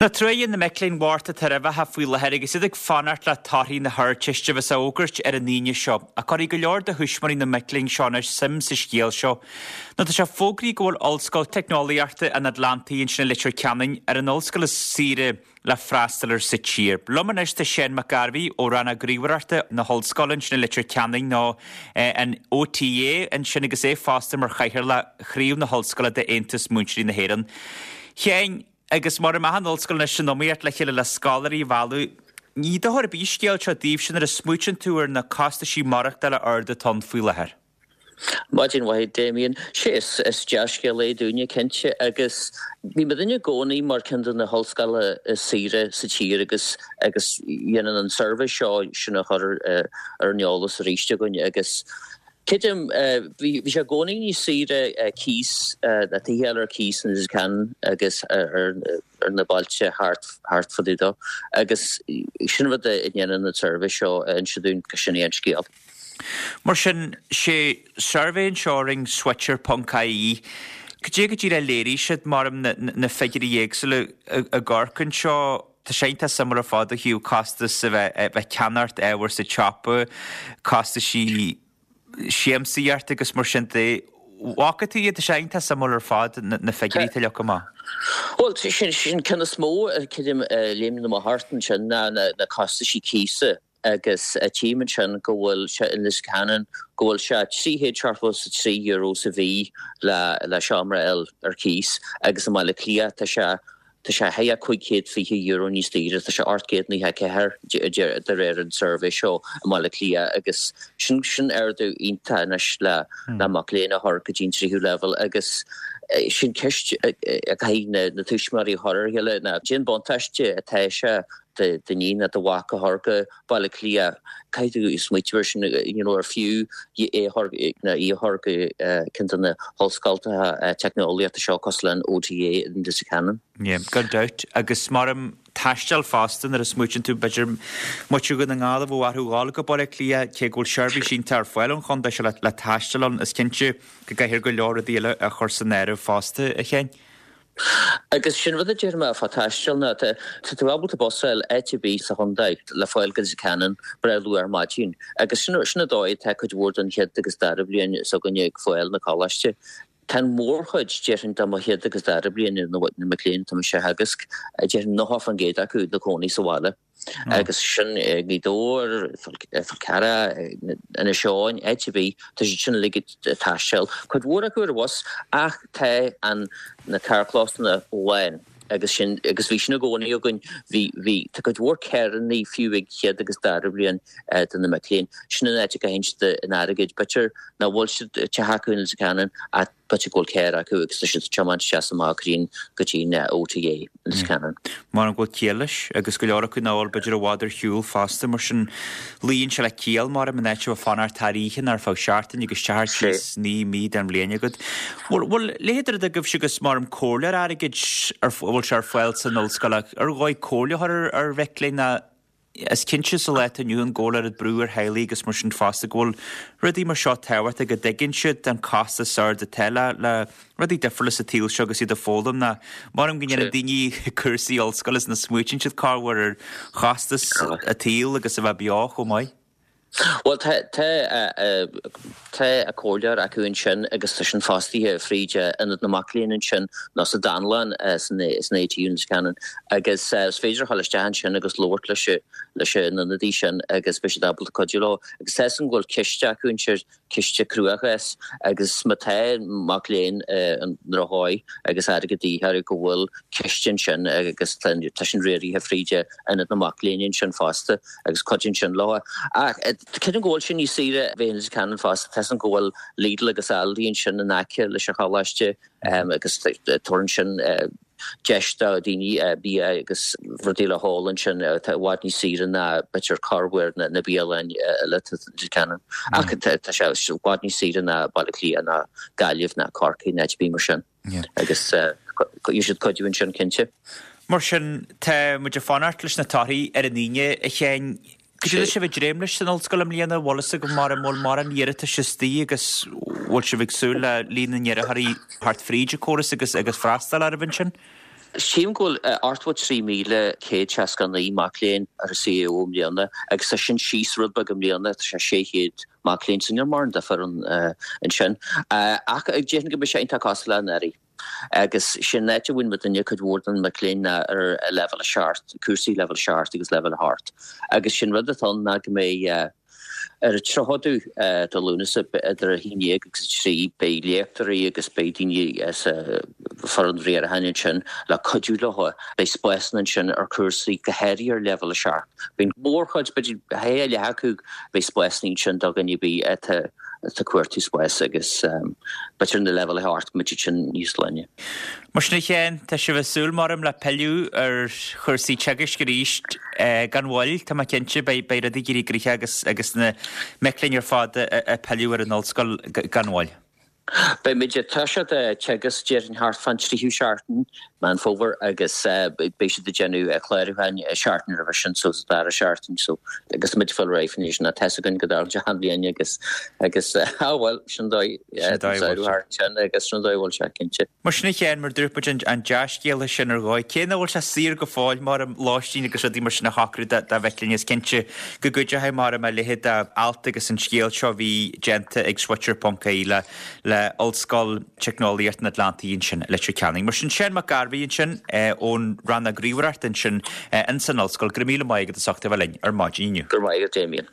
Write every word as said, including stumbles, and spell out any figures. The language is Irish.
Na truaighe na mic léinn bhochta atá roimhe faoi láthair agus iad ag fanacht le torthaí na hArdteiste a bheas á bhfógairt ar an Aoine seo, ach cuirfidh go leor de thuismitheoirí na mic léinn seo anois suim sa scéal seo. Nó tá sé fógraithe go bhfuil Ollscoil Teicneolaíochta an Atlantaigh ansin i Leitir Ceanainn ar an ollscoil is saoire le freastal air sa tír. Liom anois tá Seán Mac Gairbhí ó Rannóg Ríomhaireachta na hOllscoile ansin i Leitir Ceanainn nó an OTA ansin agus é fosta mar chathaoirleach chraobh na hOllscoile d'Aontas Múinteoirí na hÉireann. Sheáin, agus mar a mbeadh an ollscoil anois san iomaíocht le chéile le scoláirí a mhealladh, ní dochar ar bith an scéal seo daoibhse nuair a smaoitíonn tú ar na costaisí maireachtála arda atá ann faoi láthair. Maidin mhaith Damien. Sé is is dea-scéal é dúinne cinnte agus bhí muidinne i gcónaí mar ceann de na hollscoileanna is saoire sa tír agus agus dhéanann an suirbhé seo sin a chur ar an eolas arís againn agus creidim bhí bhí sé i gcónaí níos saoire cíos na tithe ar cíos in Leitir Ceanainn agus ar ar na bailte thart thart fá dtaobh dó agus sin rud a dhéanann an suirbhé seo a inse dúinn go sin é an scéal. Mar sin, sé suirbhé anseo a rinne Switcher ponc ie, cad é go díreach a léirigh siad mar na, na figiúirí éagsúla i gCorcaigh anseo, tá sé iontach suimiúil ar fad ó thaobh costas a bheith a bheith ceannacht ábhar sa tsiopa, costaisí siamsaíochta agus mar sin de. Bhfaca tú iad? Tá sé iontach suimiúil ar fad na, na figiúirí atá leagtha amach. Bhuel, sin sin ceann is mó creidim a léimeann amach ort ansin ná na, na costaisí cíosa agus tchím ansin go bhfuil sé in Leitir Ceanainn go bhfuil sé trí chéad seachtó is a trí euro sa mhí le le seomra a fháil ar cíos agus i mBaile Átha Cliath tá sé tá sé thigh cúig chéad fiche euro níos daoire, tá sé ocht gcéad nócha a ceathair de réir an suirbhé seo i mBaile Átha Cliath agus sin sin ardú iontach anois le le mac léinn a chur go dtí an tríú leibhéal agus sin ceist a chaithfidh na na tuismitheoirí a chur ar a chéile ná cén buntáiste atá sé d'iníon nó do mhac a chur go Baile Átha Cliath caithfidh tú smaoitiú air sin you know ar fiú é a chur nó í a chur go ceann de na hollscoilteacha teicneolaíochta seo cosúil le an OTA in Leitir Ceanainn. Yeah, gan dabht. Agus mar am taisteal fosta nuair a smaoitíonn tú b'fhéidir muintir Dhún na nGall a bheadh orthu dhul go Baile Átha Cliath cé go bhfuil seirbhís iontach ar fáil ón chontae seo le, le taisteal ann is cinnte go gcaithfear go leor rudaí eile a chur san áireamh fosta a Sheáin. Agus sin rud a deir mé fá taisteal ná tá tú ábalta bus a fháil áit ar bith sa chontae le fáil go Leitir Ceanainn breá luath ar maidin. Agus sin sin an dóigh atá cuid mhór den chéad agus dara bliain s'againne ag fáil na coláiste. Tá an mhórchuid déarfainn de mo chéad agus dara bliain na na mic léinn atá mise a theagasc, déarfainn nócha faoin gcéad acu ina cónaí sa bhaile. Agus sin i nGaoth Dobhair, Fál Carrach, Inis Eoghain, áit ar bith, tá siad sin uilig ag taisteal. Cuid mhór acu ar bhus ach tá an na carrchlósanna lán agus sin agus bhí sin i gcónaí againn. Bhí bhí tá cuid mhór carrannaí fiú ag chéad agus dara bliain de na mic léinn. Sin an áit a gcaitheann siad an airgead. B'fhéidir nach bhfuil siad teach acu in Leitir Ceanainn ach b'fhéidir go bhfuil carr acu agus tá siad ag tiomáint isteach is amach go dtí go dtí an OTA in Leitir Ceanainn. Mar an bhfuil ciall leis agus go leor acu nach bhfuil b'fhéidir i bhfad ar shiúl fosta mar sin luíonn sé le ciall mar an áit a bhfuil fanacht thar oíche nó ar feadh seachtaine agus teach ar cíos naoi mí den bhliain agat. Bhfuil bhfuil leithéid de rud agaibhse agus mar an comhairleoir airgid ar bhfuil sé ar fáil san ollscoil ach ar dhóigh comhairle a chur ar ar mhic léinn ná Is cinnte sa lá atá inniu ann go bhfuil oiread brú ar theaghlaigh agus mar sin fosta go bhfuil rudaí mar seo tábhachtach go dtuigeann siad an costas ard atá le le rudaí difriúla sa tsaol seo agus iad ag foghlaim ná maram go ndéanann daoine cúrsaí ollscoile is nach smaoitíonn siad corruair ar chostas an tsaoil agus a bheith beo chomh maith. Bhuel tá tá tá comhairleoir acu ansin agus tá sin fostaithe fríd Ionad na Mac Léinn ansin nó sa Dánlann san san ATU in Leitir Ceanainn agus is féidir a dhul isteach ansin agus labhairt leis leis an ionadaí sin agus beidh siad ábalta cuidiú leo. Agus tá 'fhios agam go bhfuil ciste acu ansin, ciste cruachás agus má tá mac léinn i ndrochdhóigh agus airgead de dhíth orthu go bhfuil ciste ansin agus tá tá sin riaraithe fríd Ionad na Mac Léinn ansin fosta agus cuidíonn sin leo. Ach creidim go bhfuil sé níos saoire a bheith in Leitir Ceanainn fosta, tá 'fhios agam go bhfuil Lidl agus Aldi ansin in aice leis an choláiste agus tabharann sin deis do dhaoine bia agus rudaí le hól ansin atá i bhfad níos saoire ná b'fhéidir corrmhór na bialainn eile atá in Leitir Ceanainn. Ach tá sé i bhfad níos saoire ná Baile Átha Cliath ná Gaillimh ná Corcaigh ná áit ar bith mar sin. Agus gheobhaidh siad cuidiú ansin cinnte. Mar sin, tá muid ag fanacht leis na torthaí ar an Aoine, a Sheáin. Cad é tá sibh ag dréim leis san ollscoil i mbliana? Bhfuil fhios agaibh mar an bhfuil mórán iarratais istigh agus bhfuil sibh ag súil le líon na n-iarrthóirí theacht fríd an córas agus agus freastal orthu ansin? Sílim go bhfuil ochtó trí míle céad seasca naoi mac léinn ar an C A O i mbliana agus tá sin síos rud beag i mbliana, tá sé sé chéad mac léinn, so níl mórán difear ansin. Ach déarfainn go mbeidh sé iontach cosúil le anuraidh. Agus sin áit a bhfuil muidinne cuid mhór den mac léinn ná ar leibhéal a seacht, cúrsaí leibhéal a seacht agus leibhéal a hocht. Agus sin rud atá ann ná go mbeidh ar an tríochadú de Lúnasa idir a haon déag agus a trí beidh léachtóirí agus beidh daoine sa foireann riaracháin ansin le cuidiú leo. Beidh spásanna ansin ar chúrsaí go háirithe ar leibhéal a seacht. Beidh mórchuid, b'fhéidir a leath acu, beidh spásanna ansin do dhuine ar bith atá ag cuartú spáis agus b'fhéidir na leibhéal a hocht go mbeidh sin níos glaine. Mar sin a Sheáin, tá sibh ag súil maram le pilleadh ar chúrsaí teagaisc arís gan mhoill, tá mé cinnte, beidh rudaí ag éirí gnoitheach agus agus na mic léinn ar fad ag pilleadh ar an ollscoil gan mhoill. Beidh muid ag toiseacht teagasc déarfainn thart fán tríú seachtain Meán Fómhair agus beidh siad ag déanamh clárúcháin seachtain roimhe sin so sa dara seachtain so agus muid fáil réidh faoin sin tá fhios againn go dtarlaíonn sé achan bhliain agus agus ah bhuel sin dóigh thart sin agus sin dóigh bhfuil sé cinnte. Mar sin a Sheáin, mar dúirt muid an dea-scéala sin ar dhóigh, cé nach bhfuil sé saor go fóill mar lóistín agus rudaí mar sin a shocrú do mhic léinn is cinnte go gcuideoidh mar a leithéid d'alt agus an scéal seo a bhí déanta ag Switcher ponc ie le le Ollscoil Teicneolaíocht an Atlantaigh ansin i Leitir Ceanainn. Mar sin Seán Mac Gairbhí ansin ón Rannóg Ríomhaireachta ansin in san ollscoil, go raibh míle maith agat as ucht a bheith linn ar maidin inniu. Go raibh maith agat Damien.